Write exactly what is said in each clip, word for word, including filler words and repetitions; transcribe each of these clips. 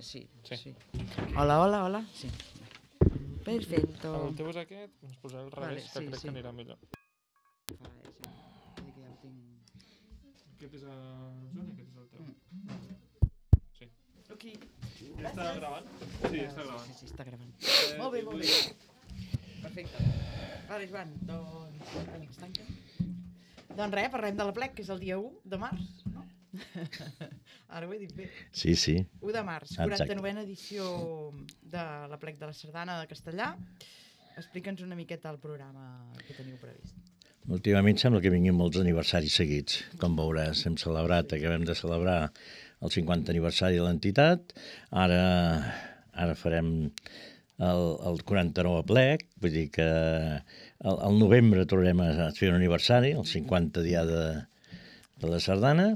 sí, sí. Hola, hola, hola. Sí. Perfecto. El teu és aquest, ens posaré al revés, que crec que anirà millor. Aquest és el Joan i aquest és el teu. Sí. Ok. Està gravant? Sí, està gravant. Sí, sí, està gravant. Molt bé, molt bé. Perfecte. Vale, Joan, doncs... Doncs res, parlem de la plec, que és el dia u de març, no? Ara ho he dit bé. Sí, sí. u de març, quaranta-novena edició de la plec de la Sardana de Castellà. Explica'ns una miqueta el programa que teniu previst. Últimament sembla que vinguin molts aniversaris seguits. Com veuràs, hem celebrat, acabem de celebrar el cinquanta aniversari de l'entitat. Ara, ara farem el, el quaranta-nou aplec, vull dir que al, al novembre tornarem a fer un aniversari, el cinquanta dia de, de la Sardana,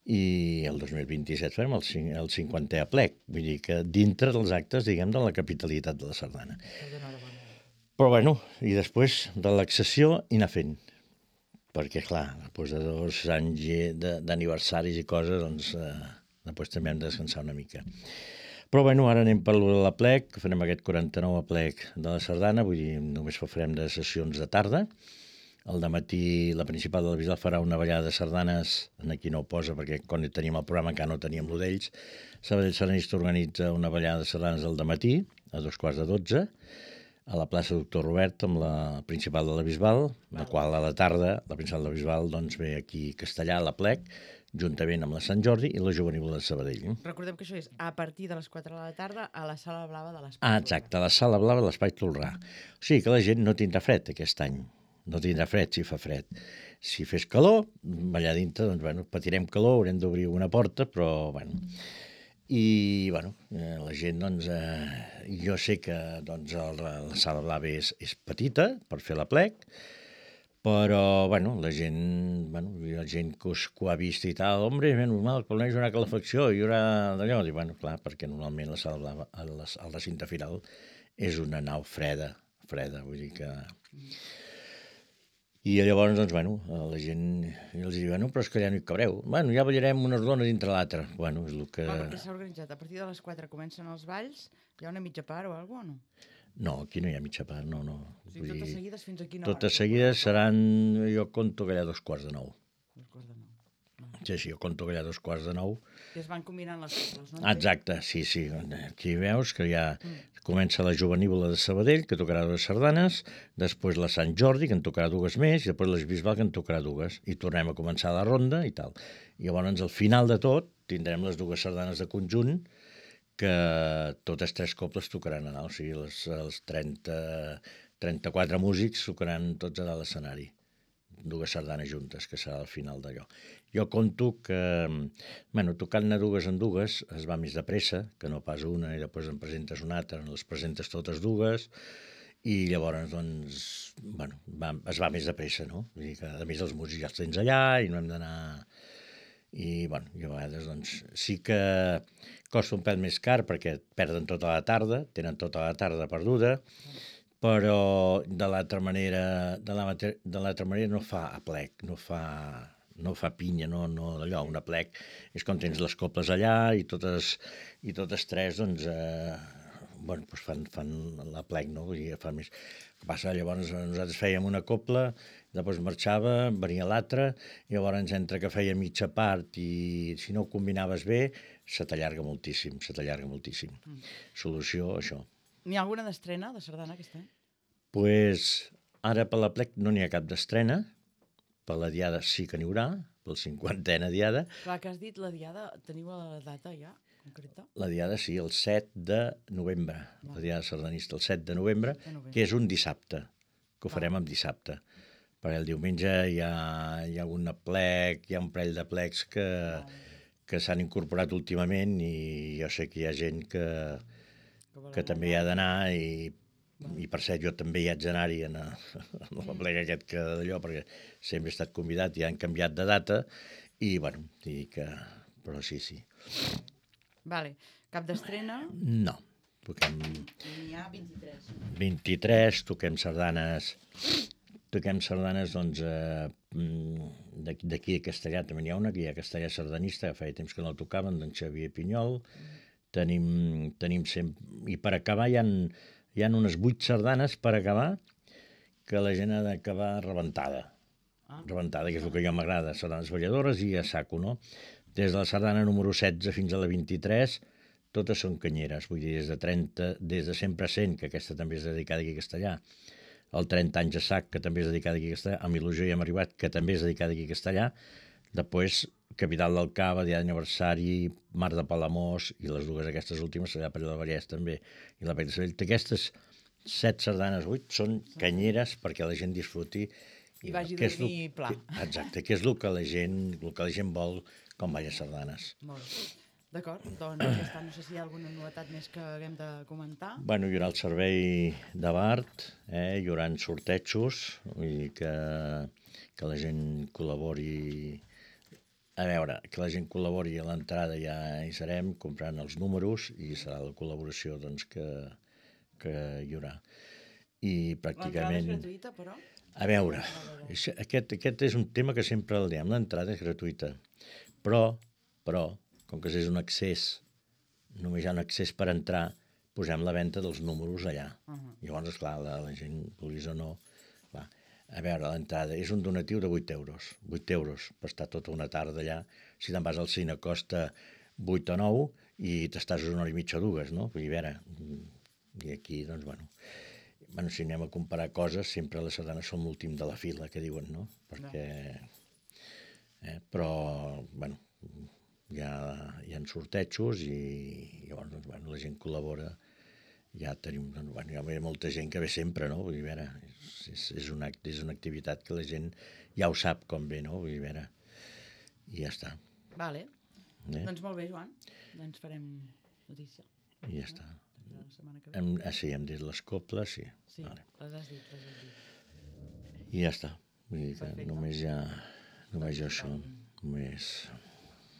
i el dos mil vint-i-set farem el, el cinquantè aplec, vull dir que dintre dels actes, diguem, de la capitalitat de la Sardana. Però bueno, i després relaxació i anar fent. Perquè, clar, després de dos anys d'aniversaris i coses, doncs, eh, després també hem de descansar una mica. Però, bueno, ara anem per l'aplec, farem aquest quaranta-nou aplec de la Sardana, vull dir, només farem de sessions de tarda. El dematí, la principal de la Bisbal farà una ballada de sardanes, aquí no ho posa, perquè quan teníem el programa encara no teníem lo d'ells. Sabadell Sardanista organitza una ballada de sardanes al dematí, a dos quarts de dotze, a la plaça Doctor Robert, amb la principal de la Bisbal, la qual a la tarda, la principal de la Bisbal, doncs ve aquí a Castellà, a la plec, juntament amb la Sant Jordi i la Jovenívola de Sabadell. Recordem que això és a partir de les quatre de la tarda a la Sala Blava de l'Espai Tolrà. Ah, exacte, a la Sala Blava de l'Espai Tolrà. O sigui que la gent no tindrà fred aquest any. No tindrà fred si fa fred. Si fes calor, allà dintre, doncs, bueno, patirem calor, haurem d'obrir una porta, però, bueno... I, bueno, eh, la gent, doncs, eh, jo sé que doncs, el, la Sala Blava és, és petita per fer l'aplec, però, bueno, la gent, bueno, la gent que, us, que ho ha vist i tal, hombre, és normal, que almenys hi haurà calefacció, hi haurà d'allò, i, bueno, clar, perquè normalment la Sala Blava, el, el recinte final, és una nau freda, freda, vull dir que... I llavors, doncs, bueno, la gent els diu, bueno, però és que ja no hi cabreu. Bueno, ja ballarem una rodona dintre l'altra. Bueno, és el que... Clar, perquè s'ha organitzat. A partir de les quatre comencen els balls, hi ha una mitja part o alguna cosa, o no? No, aquí no hi ha mitja part, no, no. O sigui, totes seguides fins a quina hora? Totes seguides seran, jo conto que hi ha dos quarts de nou. Dos quarts de nou. Sí, sí, jo conto que hi ha dos quarts de nou. I es van combinant les coses, no? Exacte, sí, sí. Aquí veus que ja comença la Jovenívola de Sabadell, que tocarà dues sardanes, després la Sant Jordi, que en tocarà dues més, i després la Bisbal, que en tocarà dues. I tornem a començar la ronda i tal. I llavors, al final de tot, tindrem les dues sardanes de conjunt, que totes tres cobles tocaran a dalt, o sigui, les, els trenta, trenta-quatre músics tocaran tots a dalt l'escenari. Dues sardanes juntes, que serà al final d'allò. Jo conto que, bueno, tocant-ne dues en dues es va més de pressa, que no pas una i després en presentes una altra, les presentes totes dues, i llavors, doncs, bueno, va, es va més de pressa, no? Vull dir que, a més, els músics ja els tens allà i no hem d'anar... I, bueno, i a vegades, doncs, sí que costa un pèl més car perquè perden tota la tarda, tenen tota la tarda perduda, però de l'altra manera, de l'altra manera no fa aplec, no fa, no fa pinya, no, no d'allò, un aplec és com tens les coples allà i totes, i totes tres, doncs, eh, bueno, doncs fan, fan l'aplec, no? Vull dir, fa més... El que passa, llavors nosaltres fèiem una copla, després marxava, venia l'altra, i llavors entre que feia mitja part i si no ho combinaves bé, se t'allarga moltíssim, se t'allarga moltíssim. Mm. Solució, això. N'hi ha alguna d'estrena de sardana aquest any? Pues ara per l'aplec no n'hi ha cap d'estrena, per la diada sí que n'hi haurà, per la cinquantena diada. Clar, que has dit la diada, teniu la data ja concreta? La diada sí, el set de novembre, Va. La diada sardanista el set de novembre, de novembre, que és un dissabte, que ho farem Va. amb dissabte. Perquè el diumenge hi ha, hi ha un aplec, hi ha un parell d'aplecs que, que s'han incorporat últimament i jo sé que hi ha gent que, que també hi ha d'anar i, i per cert jo també hi haig d'anar-hi en, en l'aplec aquest que d'allò perquè sempre he estat convidat i han canviat de data i bueno, i que, però sí, sí. Vale. Cap d'estrena? No. Toquem... N'hi ha vint-i-tres. vint-i-tres, toquem sardanes... Toquem sardanes, doncs, eh, d'aquí a Castellà també n'hi ha una, que hi ha Castellà Sardanista, que feia temps que no el tocaven, d'en Xavier Pinyol. tenim, tenim sempre... I per acabar hi ha, hi ha unes vuit sardanes per acabar que la gent ha d'acabar rebentada. Ah. Rebentada, que és el que jo m'agrada, sardanes balladores i a saco, no? Des de la sardana número setze fins a la vint-i-tres, totes són canyeres, vull dir, des de trenta, des de Sempre Sent, que aquesta també és dedicada aquí a Castellà, el trenta anys a sac, que també és dedicada aquí a Castellà, amb Il·lusió hi hem arribat, que també és dedicada aquí a Castellà, després Capital del Cava, Dia d'Aniversari, Mar de Palamós, i les dues aquestes últimes, allà per allà del Vallès també, i la Pec de Sabell. Aquestes set sardanes, vuit, són canyeres perquè la gent disfruti. I vagi que és dormir lo- pla. que- Exacte, que és el que la gent, el que la gent vol quan balla sardanes. Molt bé. D'acord, doncs aquesta, no sé si hi ha alguna novetat més que haguem de comentar. Bueno, hi haurà el servei de Bart, eh? Hi haurà sortejos, vull dir que, que la gent col·labori. A veure, que la gent col·labori a l'entrada, ja hi serem comprant els números i serà la col·laboració doncs, que, que hi haurà. I L'entrada és pràcticament... gratuïta, però? A veure, això- aquest, aquest és un tema que sempre el diem, l'entrada és gratuïta, però, però, com que és un accés, només hi ha un accés per entrar, posem la venda dels números allà. Uh -huh. Llavors, esclar, la, la gent, vulguis o no, clar. A veure, l'entrada és un donatiu de vuit euros, vuit euros per estar tota una tarda allà. Si te'n vas al cine costa vuit o nou i t'estàs una hora i mitja o dues, no? Vull dir, a veure, i aquí, doncs, bueno... Bueno, si anem a comparar coses, sempre les sardanes són l'últim de la fila, que diuen, no? Perquè... Eh, però, bueno, hi ha, hi ha sortejos i llavors, doncs, bueno, la gent col·labora. Ja tenim, doncs, bueno, hi ha molta gent que ve sempre, no? Vull dir, a veure, és, és, una, és una activitat que la gent ja ho sap com ve, no? Vull dir, a veure, i ja està. Vale. Eh? Doncs molt bé, Joan. Doncs farem notícia. I ja està. La setmana que ve. Hem, ah, sí, hem dit les coples, sí. Sí, Vale. les has dit, les has dit. I ja està. Vull dir que Perfecte. només ja, només ja això. Només...